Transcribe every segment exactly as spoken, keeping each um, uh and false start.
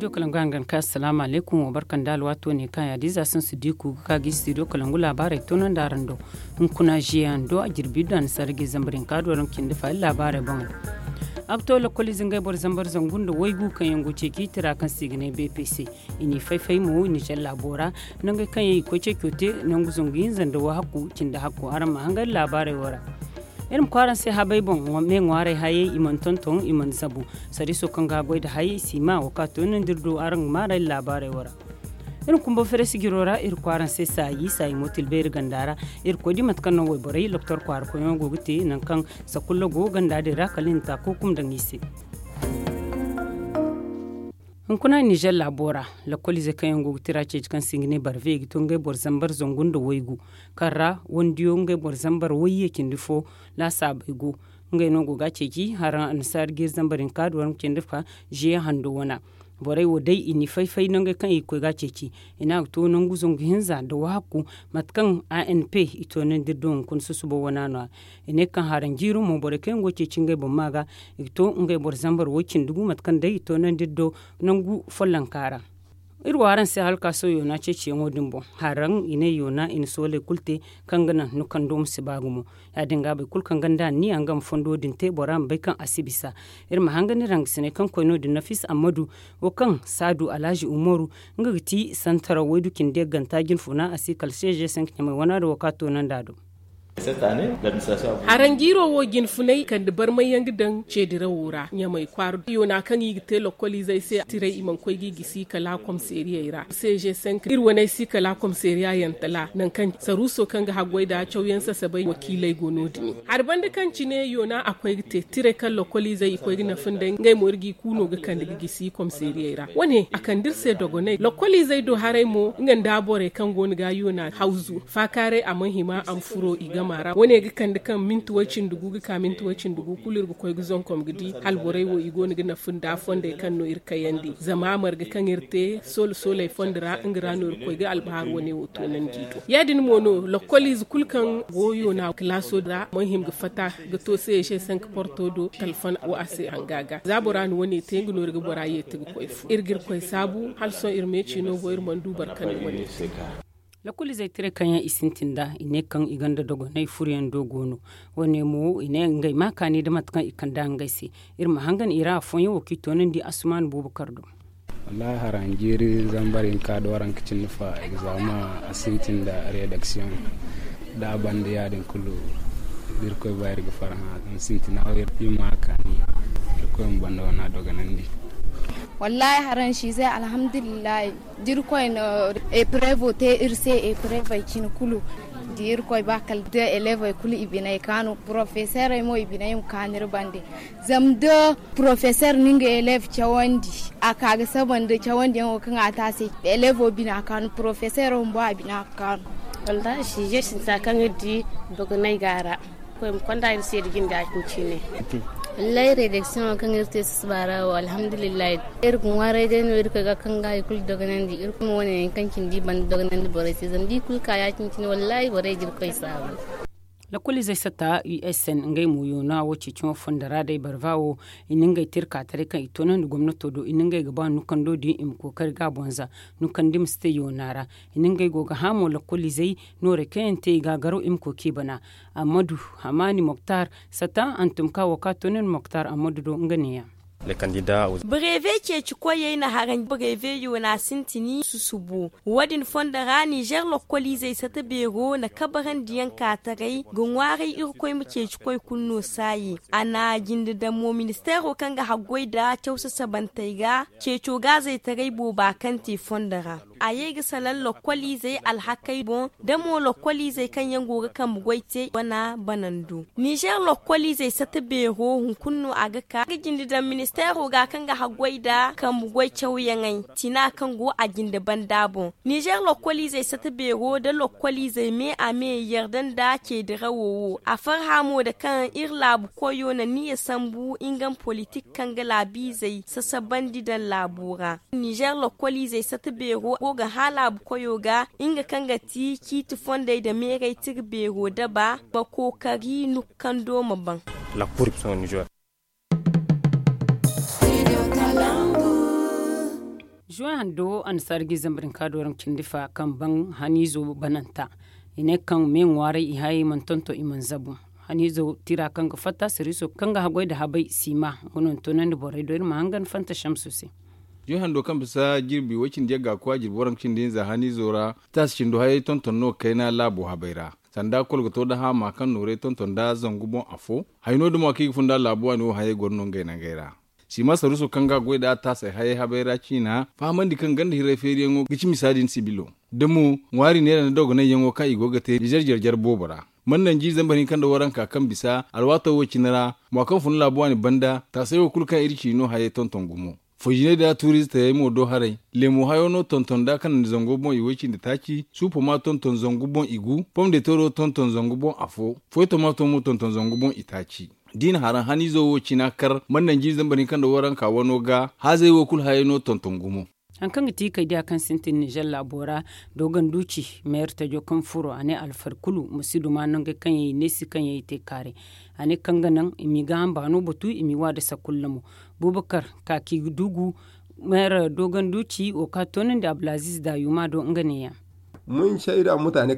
Studio kalangu hangan ka assalaamu alaykum, wa barka nda alwaato ne kaŋ yaadiiza sansu diiku ga ka ga studio kalangu laabaarey toonandi araŋ do. Hunkuna ziyaŋ do a jirbi iddu a na sarra ga zambar hinka do araŋ cindi fa iri laabaarey boŋey. A ga to lakkoliize ngey boro zambar zangu nda waygu kaŋ yaŋ go ceeci tira kaŋ se i ga ne bpc. I n'i fay-fay mo nizer laabo ra. Nangey kaŋ yaŋ i koy ceeco te nangu zangu hinza nda wahakku cindi hakku araŋ ma hangan laabaarey wo ra. Iri ma koy araŋ se habey boŋ, me ŋwaarey hayey i mana tonton i mana zabu. Sariiso kaŋ ga a goy nda hayey si ma wo kaŋ a toonandi iri do araŋ ga maarey laabaarey wo ra. Iri ma kumba fereesi jiro ra iri koy araŋ se saayi saayi mo tilbeeri ganda ra. Iri koy di mate kaŋ no wayborey loktor kwaara koyyaŋo go ga te nangu kaŋ sakulla go ganda din ra kala i na taako kuma daŋ i se. Hunkuna nizer laabo ra, lakkoliizey kaŋ yaŋ go ga tira ceeci kaŋ se i ga ne barve i ga to ngey boro zambar zangu nda waygu. Kaŋ ra wandiyo ngey boro zambar wayye cindi fo laasaabey go. Ngey no go ga a ceeci haraŋ annasaari ga iri zambar hinka do waranka cindi fa ziye hando wana. Borey wo day i n'i fay-fay nangey kaŋ i ga koy ga a ceeci. I ne a ga to nangu zangu hinza nda wahakku mate kaŋ anp i toonandi iri do hunkuna susubo wana no- ya. I ne kaŋ haraŋ jiiri mo borey kaŋ yaŋ go ga ceeci ngey boŋ ma ga i ga to ngey boro zambar way-cindi gu mate kaŋ day i toonandi iri do nangu follonka ra. Iri wo araŋ se halkaaso yoona ceeciyaŋo din boŋ. Haraŋ i ne yoona i na sooley kulu te kaŋ ga naŋ nukando ma si ba gumo. Ya- din ga boro kulu kaŋ gonda anniya nga ma fondo din te bora ma bay kaŋ a si bisa. Iri ma hangan iri hangasiney kaŋ koy no- din nafis ammadu wo kaŋ saadu alhazi umaru nga ga ti santaraw waydu cindi yagganta jinfuna a si kala seeze sanka ɲamay wana da wo kaŋ a toonandi a do. Haraŋ jiiro wo jinfunay kande barmay yaŋ ga daŋ ceedirawo ra ɲamay kwaara yoona kaŋ i ga te lokkoliizey se tiray i mana koy ga i gisi kala komiseeriyey ra seeze sanka iri waney si kala komiseeriya yaŋ tala nangu kaŋ saruuso kaŋ ga haggoy nda cawyaŋ sasabay wakiiley go no- din. Hari banda kaŋ cine yoona a koy ga te tiray kaŋ lokkoliizey i koy ga nafa nd'ey ngey mo iri g'i ku no ga kande ga gisi komiseeriyey ra wane a kande iri se dogonay lokkoliizey do haray mo nga nda borey kaŋ go no ga yoona hawzu faakaaray a mana hima a ma furo i gama ra wane ga kande kaŋ minti way-cindi gu ga ka minti way-cindi gu kulu iri ga koy ga zonkom ga di hala borey wo i go no ga nafa nda fondey kaŋ no iri kayandi zama marga kaŋ iri te soolo sooley fondo ra nga ra no iri koy ga albahar wane wo toonandi i do ya- din mo no lokkoliize kulu kaŋ go yoona kilaaso ra mana hima ga fatta ga to se ese sanka porto do talfon wo a se hanga ga za bora na wane te nga no iri ga bora yeeti ga koy fu iri ga iri koy saabu hala sohõ iri meeci no go iri mana du boro kaŋ na wane te. Lakkoliizey tiray kaŋ yaŋ i sintin nd'a i ne kaŋ i gonda dogonay furo yaŋ do go no. Wane mo i ne ngey ma kaani nda mate kaŋ i kand'a ngey se. Iri ma hangan i ra afooyaŋ wo kaŋ i toonandi asumaan buuba kar do. Wallaahi haraŋ jiiri zambar hinka da waranka cindi fa egzama a sintin nda redaksiyoŋ. Da a banda ya- din kulu da irkoy ba iri ga farhã zama sintina wo iri ma a kaani. Irkoy ma banda wana dogonandi. Wallaahi haraŋ siizey alhamdulillahi da irkoy na eprevo te iri se eprevey cine kulu da irkoy ba kala da elevey kulu i biney kaanu porofeserey mo i biney ma kaanu iri bande. Zama da porofeser na nga elev cawandi a ka ga saba nda cawandiyaŋo kaŋ a te a se elevo bina kaanu porofesero bumbo a bina ga kaanu. Wallaahi siije sintina kaŋ iri di dogonay go a ra. Koy ma konda iri se da jinde a cine. Wallaahi redaksiyoŋo kaŋ iri te sasaba ra wo alhamdulillahi. Iri ga ŋwaaray day no iri koy ga kaŋ ga hari kulu dogonandi iri kulu ma wane yaŋ kaŋ cine da i banda dogonandi borey se zama da i kulu ka ya- cine cine wallaahi borey ga iri koy saabu. Lakkoliizey satta usn ngey mo yoona wo ceeciyaŋo fondo ra day barva wo i na ngey te iri ka taray kaŋ i toonandi gomnato do i na ngey ga ba nukando din i ma kookari ga a boŋ za nukandi ma si te yoona ra. I na ngey go ga hã mo lakkoliizey noorey kaŋ yaŋ te i ga a garaw i ma koy kaŋ i bana. Ammadu hamaani moktar satta hantum ka wo kaŋ a toonandi moktar ammadu do nga neeya. Breve ceeci koyey na haraŋ breve yoona sintini susubo. Wo- din fondo ra nizer lokkoliizey sata beero na kabarandi yaŋ ka taray ga ŋwaaray irkoy ma ceeci koy kulu no saayi. A na jinde daŋ mo ministeero kaŋ ga haggoy nda caw sasabantey ga ceeco gaazey taray booba kaŋ te fondo ra. A ye ga salaŋ lokkoliizey alhakey boŋ da mo lokkoliizey kaŋ yaŋ go ga kambe goy te wana banando. Nizer lokkoliizey sata beero hunkuna no a ga ka ga jinde daŋ ministeero ga kaŋ ga haggoy nda kambe goy cawyaŋey tina kaŋ go a jinde banda boŋ. Nizer lokkoliizey sata beero nda lokkoliizey me a me yarda nda ceedirawo wo a farhã mo nda kaŋ iri laabu koyo na niya sambu nga ma politik kaŋ ga laabiizey sasabandi daŋ laabo ra. Nizer lokkoliizey sata beero go ga hã laabu koyo ga nga kaŋ ga ti ciiti fondey nda meeray tira beero daba ma kookari nukando ma baŋ. Zuwan hando annasaara ga i zambar hinka dooram cindi fa kaŋ ban haniizo bananta. I ne kaŋ me ŋwaaray i hayey mana tonton i mana zabu. Haniizo tira kaŋ ga fatta sariiso kaŋ ga haggoy nda habay siima nga no ni toonandi borey do iri ma hangan fanta shamsu se. Zuwan hando kaŋ bisa jirbi way cindi yagga koy a jirbi waranka cindi hinza haniizo ra taasi cindo hayey tonton no kayna laabo habay ra. Sanda kol ga to nda haama kaŋ nooray tonton nda zangu boŋ afo. Hayno dumo kaŋ i ga funda laabu waani wo hayey goro no ngey nangey ra. Siima saruuso kaŋ ga goy nd'a taasay hayey habay ra ciina fahamandi kaŋ ganda hiray feeriyaŋo ga ci misa din sibilo. Da mo ŋwaari neera nda dogonayyaŋo kaŋ i go ga te nizer jarjar boobo ra. Mana nanji zambar hinka nda waranka kaŋ bisa alwaato wo cine ra mo kaŋ fun laabu waani banda taasay wo kulu kaŋ iri ci no hayey tonton gumo. Fojinay da turizitayey mo do haray. Leemo hayo no tonton nd'a kanandi zango boŋ i way cindi taaci suupo ma tonton zangu boŋ i gu. Pomdeetero tonton zangu boŋ afo. Foy tomaato mo tonton zangu boŋ i taaci. Da i na haraŋ haniizo wo cina kar mana nanji zambar hinka nda waranka wano ga haazey wo kulu hayey no tonton gumo. Hari kaŋ ga ti kay diya kaŋ sintin nizer laabo ra, dooganduuci meeri tajo kaŋ furo a ne alfari kulu ma si duma nangey kaŋ yaŋ i neesi kaŋ yaŋ i te kaaray. A ne kaŋ ga naŋ i m'i gaaham baano batu i m'i wa nda sakulla mo. Bubakar kaakidugu meeri dooganduuci wo kaŋ a toonandi abdulaziiz daayuma do nga neeya.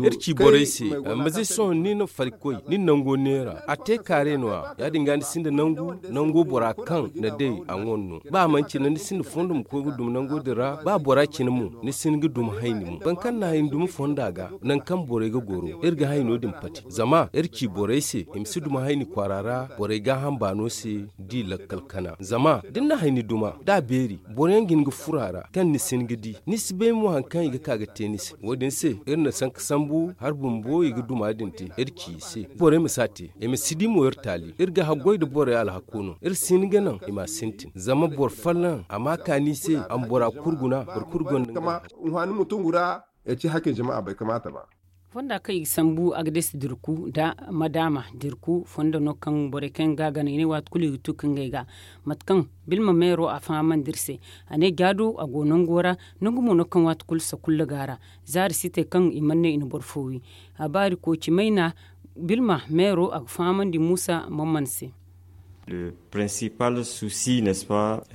Iri ci borey se, ma si sohõ ni na farikoy ni na nango neera a te kaare no- ya ya-din ga ni sinda nangu nango bora kaŋ na day a ŋwa no. Ba a mana cine ni sinda fondo ma koy ga duma nango din ra ba bora cine mo ni si hin ga duma hayni mo boro kaŋ na hayni duma fonda ga. Nangu kaŋ borey ga goro iri ga hayno din pati zama iri ci borey se i ma si duma hayni kwaara ra borey gaaham baano se. Da i lakkal kana zama da ni na hayni duma da a beeri boro yaŋ ga hin ga furo a ra kaŋ ni si hin ga di ni si bay mo hari kaŋ i ga ka ga te ni se. Wo- din se iri na sanka sambu hari bumbo i ga duma din te iri ci i se borey ma si a te. I ma si di mo iri taali iri ga haggoy nda borey alhako no iri si hin ga naŋ i ma a sintin zama boro folloŋ a ma a kaani i se a ma bora kulu guna boro kulu gonda nga. Hunhani ma tungu ra ya ci hakkin jama a bay kamaata ba. Fonda kaŋ i ga sambu a ga deesi dirku nda madaama dirku fondo no kaŋ borey kaŋ ga a gana i ne waati kulu i ga tu ka ngey ga. Mate kaŋ bilma meero a fahamandi iri se a ne jaado a go nango ra. Nangu mo no kaŋ waati kulu sakulla go a ra. Zaari si te kaŋ i mana ne i na boro fo wi. A baari kooci mayna bilma meero a ga fahamandi muusa mamman se.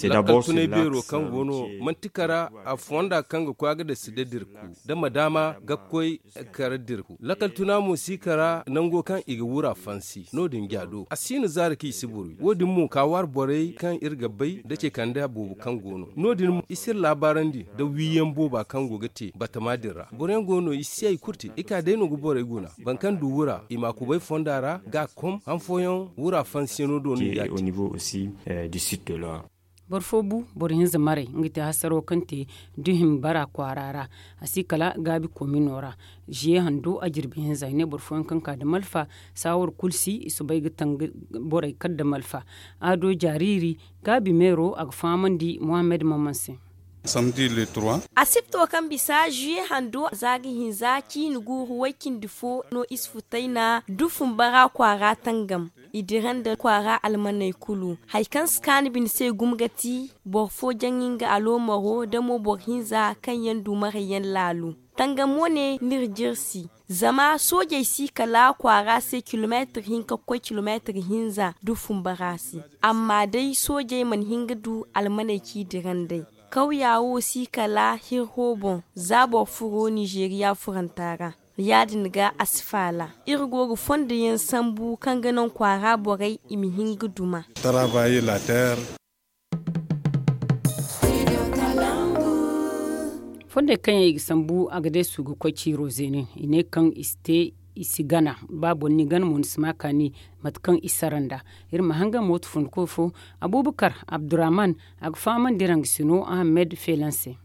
Lakkal tunay beero kaŋ go no manti kara a fonda kaŋ ga koy a ga dasi da dirku da ma daama ga koy kara dirku lakkal tuna mo si kara nango kaŋ i ga wura fansi no- din jaado a si no zaari kaŋ i si boro wi wo- din mo ka waari borey kaŋ iri ga bay da ce kande boobo kaŋ go no no- din mo i si iri laabaarandi da wiiyaŋ booba kaŋ go ga te batama din ra boro yaŋ go no i si ay kulu te i ka day no ga borey guna boro kaŋ du wura i ma kubay fonda ra ga a kom han fooyaŋ wura fansiyano do no i ga a te. Boro fo bu boro hinza maray nga te hasaro kaŋ te duhim bara kwaara ra. A si kala gaabi komino ra. Ziye hando a jirbi hinza i ne boro fooyaŋ kaŋ ka nda malfa saawar kulu si i soobay ga tanga borey kala nda malfa. Aado jaariiri gaabi meero a ga fahamandi muhammad maman se. Asibto kaŋ bisa ziye hando za ga hinza ciini guuru way cindi fo no isfutayna dufun bara kwaara tangam. I dira nda kwaara almaney kulu hari kaŋ si kaanu bine se gumo ga ti boro fo jaŋ nga aloomaro da mo boro hinza kaŋ yaŋ du marayyaŋ laalu. Tangam wane n'iri jirsi zama soojey si kala kwaara se kilomeetir hinka ga koy kilomeetir hinza dufun bara se. Amma day soojey mana hin ga du almaney k'i dira nd'ey. Kawya wo si kala hirho boŋ za boro furo nizeeriya furanta ra. Ya-din ga a si faala iri go ga fondo yaŋ sambu kaŋ ga naŋ kwaara borey i ma hin ga duma. Fondey kaŋ yaŋ i ga sambu a ga deesu ga koy ciiro zeene i ne kaŋ i si te i si gana. Ba boro ni gana mo ni si ma kaani mate kaŋ i sara nd'a. Iri ma hangan mooto funkoy fo abubakar abdurrahman a ga fahamandi iri hangasino ahamed feelan se.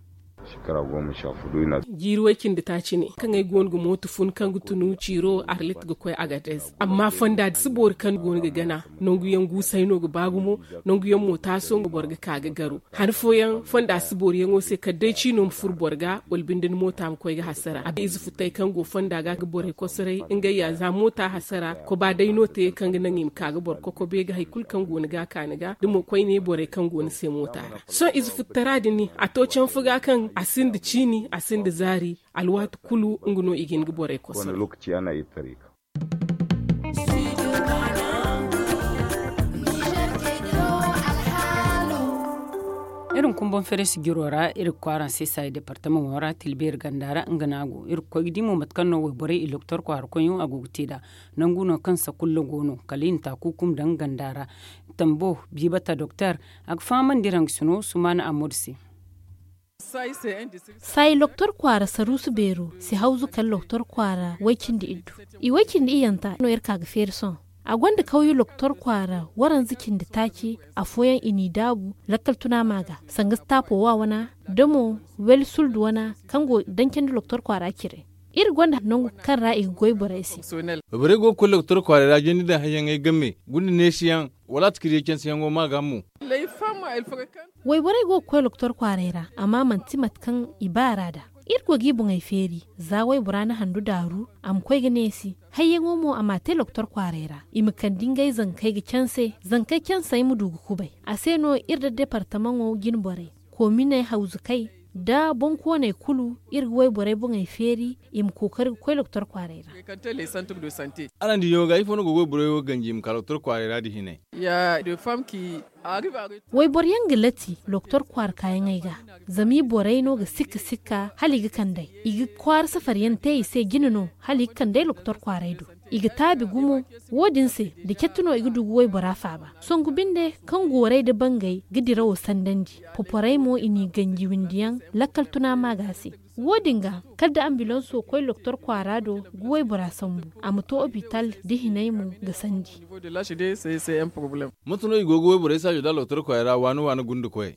Jiiri way cindi taaci ne kaŋ ay goono ga mooto fun kaŋ ga tunu ciiro arlit ga koy agadez amma fonda si boori kaŋ goono ga gana. Nanguyaŋ guusay no ga ba gumo. Nanguyaŋ mo taaso nga boro ga ka ga garo. Han fooyaŋ fonda si booriyaŋo se kala day ciino ma furo boro ga wala binde ni moota ma koy ga hasara a bay ize futay kaŋ go fonda ga ga borey kosoray ngey ya za moota hasara koba day no te kaŋ ga naŋ i ma ka ga boro kokobe ga hari kulu kaŋ go ni ga a ka ni ga da mo koyne borey kaŋ go ni se moota ra. Sohõ ize futtara din a to canfu ga kaŋ a sinda ciini a sinda zaari. Alwaati kulu nga no i ga hin ga borey kosoray. Iri ma kumbaŋ fereesi jiro ra iri ga koy araŋ se saayi departamaŋo ra tilbeeri ganda ra nga no a go iri ga koy ga di mo mate kaŋ no wayborey i loktor kwaara koyyaŋo a go ga te nd'a. Nangu no kaŋ sakulla go no kala i na taakuukum daŋ ganda ra. Tambo biibata doktor a ga fahamandi iri haŋ ga sino sumaana ammadu se. Saayi loktor kwaara saruusu beero si hawzu kala loktor kwaara way-cindi iddu. I way-cindi iyyanta no iri ka ga feeri sohõ. A gonda kawyu loktor kwaara waranza cindi taaci. Afooyaŋ i n'i daabu lakkal tuna ma ga sanga staapo wa wana da mo weli suldu wana kaŋ go dancandi loktor kwaara cire. Iri gonda nangu kaŋ ra i ga goy borey se. Borey go ga koy loktor kwaaray ra jandi daŋ hayyaŋey game gunda neesiyaŋ wala a ti ka diya cansiyaŋo ma ga mo. Wayborey go ga koy loktor kwaaray ra amma manti mate kaŋ i ba a ra nd'a. Iri go ga i boŋey feeri za waybora na handu daaru a ma koy ga neesi. Hayyaŋo mo a m'a te loktor kwaaray ra i ma kande ngey zankey ga canse zankey cansey ma du ga kubay. A se no iri da departamaŋo jine borey koominey hawzukey nda boŋkooney kulu. Iri ga wayborey boŋey feeri i ma kookari ga koy loktor kwaaray ra. Araŋ di yaŋo ga ifo no go ga wayborey wo ganji i ma ka loktor kwaaray ra nda hinay. Wayboro yaŋ ga lati loktor kwaara kaayaŋey ga zama i borey no ga sikka sikka hala i ga kand'ey. I ga kwaara safari yaŋ te i se jine no hala i ga kand'ey loktor kwaaray do. I ga taabi gumo. Wo- din se da catti no i ga du ga waybora faaba. Songu binde kaŋ goorey nda bangey ga dirawo sandandi poporey mo i n'i ganji windiyaŋ lakkal tuna maaga se. Wo- din ga kala da ambilanso koy loktor kwaara do ga waybora sambu a ma to opital da hinay mo ga sandi. Mate no i go ga wayborey saajo da loktor kwaara ra waani waani gunda koyey?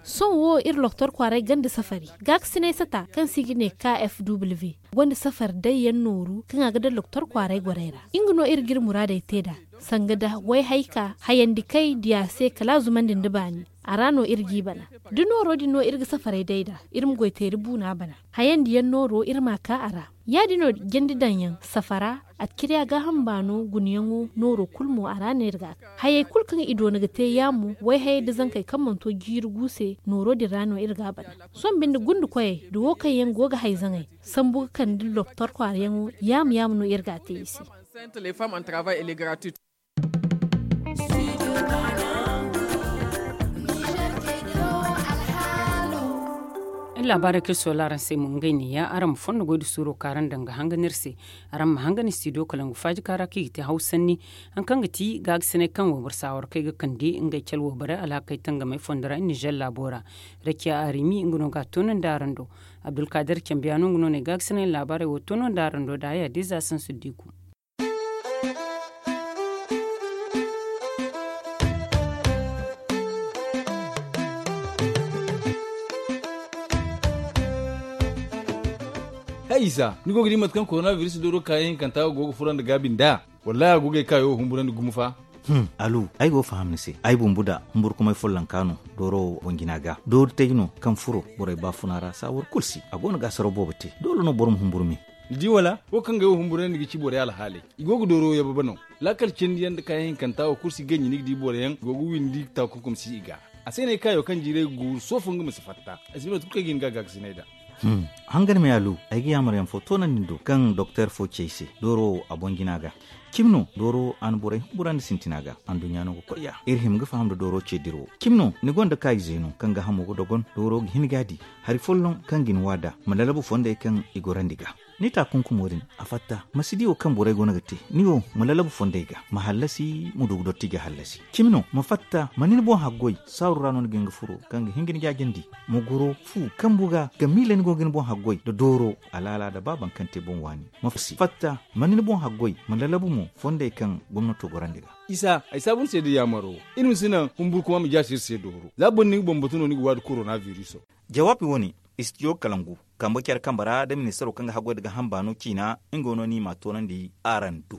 Sohõ wo iri loktor kwaaray ganda safari gaakasinay sata kaŋ se i ga ne kfw gonda safari day yaŋ nooru kaŋ a ga daŋ loktor kwaaray gorey ra. Nga no iri ga iri muraadey te nd'a sanga da wayhayka hayandi kay diya se kala a zumandi nda baani. A ra no iri g'i bana da nooro din no iri ga safaray day nd'a. Iri ma goy teeri buuna bana hayandi yaŋ nooro iri m'a ka a ra. Ya- din no jandi daŋ yaŋ safara a ga ciri a gaaham baano gunayaŋo nooro kulu mo a ra no iri ga a ka. Hayey kulu kaŋ i doona ga te yaamo wayhayey nda zankey kaŋ mana to jiiri gu se nooro din ra no iri ga a bana. Sohõ binde gunda koyey nda wo kaŋ yaŋ go ga hay zaŋey sambu ga kande loktor kwaarayaŋo yaamo yaamo no iri ga a te i se. Iri laabaarey kaŋ iri soola araŋ se mo ngey neeya araŋ ma fondo goy nda suuro kaŋ araŋ daŋ ga hangan iri se. Araŋ ma hangan studio kalangu faaji kaŋ ra kaŋ i ga te hawsanni. Haŋ kaŋ ga ti gaagasinay kaŋ wayboro saawarkey ga kande ngey cale wayborey alhakey tangamey fondo ra nizer laabo ra. Rakiya arimi nga no ga a toonandi araŋ do. Abdulkadir cambiya no nga no na ay gaagasinay laabaarey wo toonandi araŋ do da haya diza sansu diku. Hay isa ni go ga di mate kaŋ korona biris dooro kaayaŋ hinkanta go ga furo nda gaabi nd'a? Wallahi a go ga ay kaayo wo humburandi gumo fa. Alu, ay go ga faham ni se. Ay bumbu da humburkumay follonka no dooro wo boŋ jina ga doori tay no kaŋ furo borey baafuna ra saawar kulu si a go no ga asaro boobo te doole no boro ma humburu me. Ni di wala wo kaŋ ga ay wo humburandi ga ci borey alhaaley i go ga dooro wo yababa no. Laakal cindi yaŋ nda kaayaŋ hinkanta wo kulu si ganji ni ga di boro yaŋ i go ga windi taakunkum si i ga. A se no ay kaayo kaŋ jiiray ga guuru soofo nga ma si fatta. Ay si no tun kaŋ ay ga hin ga gaakasinay nd'a. Hangan me alu, ay ga yaamar yaŋ fo toonandi ni do kaŋ doktor fo ci ay se dooro wo a boŋ jina ga. Cimi no dooro wo a na borey humburandi sintina ga anduɲɲa no ga koy ya iri hima ga faham nda dooro ce dira wo. Cimi no ni gonda kaayize no kaŋ ga hamo ga dogon dooro ga hin ga a di. Hari folloŋ kaŋ ga ni wa nd'a ma lalabu fondey kaŋ i gorandi ga. Ni taakunkumo din a fatta ma si di wo kaŋ borey go no ga te. Ni wo ma lalabu fondey ga ma hallasi ma du ga dotti ga hallasi. Cimi no ma fatta ma ni ni boŋ haggoy saaru ra no ni ga hin ga furo kaŋ ga hin ga ni jaajandi. Ma goro fu kambu ga ga miila ni go ga ni boŋ haggoy nda dooro alaala nda ba baŋ kaŋ te boŋ waani. Ma fatta ma ni ni boŋ haggoy ma lalabu mo fondey kaŋ gomnato gorandi ga. Isa ay saabu ni se nda yaamaro. Iri ma si naŋ humburkuma ma jaasi iri se dooro za boro ni ga bambatu no ni ga waadi korona biriso. Jawaabi wo-ne istijo kalangu kambe care kambe ra nda ministaro kaŋ ga haggoy nda gaaham baano ciina. Nga wo no ni m'a toonandi araŋ do.